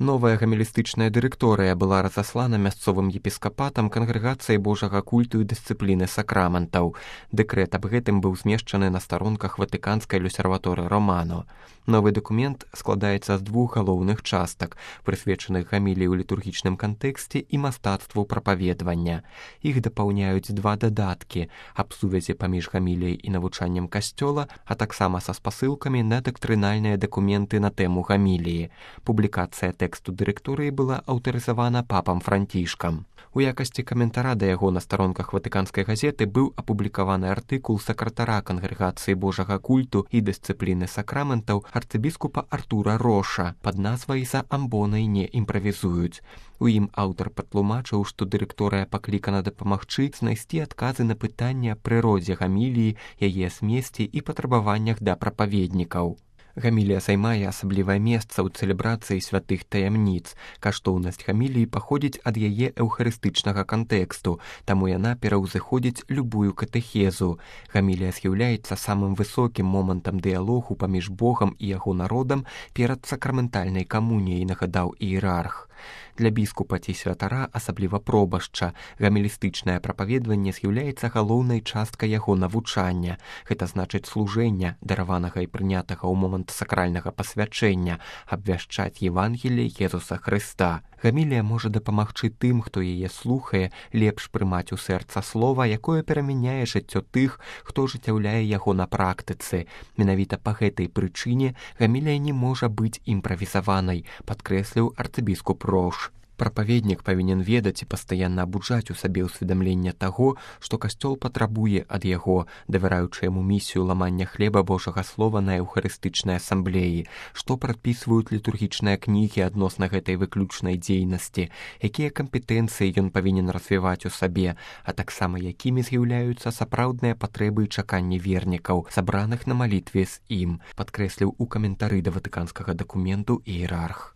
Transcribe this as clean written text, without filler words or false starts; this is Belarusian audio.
Новая гамелістычная дырэкторыя была разаслана мясцовым епіскапатам кангрэгацыяй Божага культу і дысцыпліны сакраментаў. Дэкрэт аб гэтым быў змешчаны на старонках Ватыканскай люсерваторы Романо. Новы дакумент складаецца з двух галоўных частак, прысвечаных гаміліі ў літургічным кантэксце і мастацтву прапаведвання. Іх дапаўняюць два дадаткі аб сувязі паміж гаміліяй і навучаннем касцёла, а таксама са спасылкамі на дактрынальныя дакументы на тэму гаміліі. Публікацыя тэксту дырэкторыі была аўтарызавана папам Францішкам. У якасці каментара да яго на старонках Ватыканскай газеты быў апублікаваны артыкул сакратара кангрэгацыі Божага культу і дысцыпліны сакраментаў арцыбіскупа Артура Роша пад назвай «За амбонай не імправізуюць». У ім аўтар патлумачыў, што дырэкторыя паклікана дапамагчы знайсці адказы на пытанні аб прыродзе гаміліі, яе змесце і патрабаваннях да прапаведнікаў. Гамілія займае асаблівае месца ў цэлебрацыі святых таямніц. Каштоўнасць гаміліі паходзіць ад яе эўхарыстычнага кантэксту, таму яна пераўзыходзіць любую катэхезу. Гамілія з'яўляецца самым высокім момантам дыялогу паміж Богам і яго народам перад сакраментальнай камуніяй, нагадаў іерарх. Для біскупа ці святара, асабліва пробашча, гамелістычнае прапаведванне з'яўляецца галоўнай часткай яго навучання. Гэта значыць служэння, дараванага і прынятага ў момант сакральнага пасвячэння, абвяшчаць Евангеліе Езуса Хрыста. Гамілія можа дапамагчы тым, хто яе слухае, лепш прымаць у сэрца слова, якое перамяняе жыццё тых, хто ажыццяўляе яго на практыцы. Менавіта па гэтай прычыне гамілія не можа быць імправізаванай, падкрэсліў арцыбіскуп Рош. Прапаведнік павінен ведаць і пастаянна абуджаць у сабе ўсведамленне таго, што касцёл патрабуе ад яго, давяраючы яму місію ламання хлеба Божага слова на эўхарыстычнай асамблеі, што прадпісваюць літургічныя кнігі адносна гэтай выключнай дзейнасці, якія кампетэнцыі ён павінен развіваць у сабе, а таксама якімі з'яўляюцца сапраўдныя патрэбы і чаканні вернікаў, сабраных на малітве з ім, падкрэсліў у каментары да ватыканскага дакументу іерарх.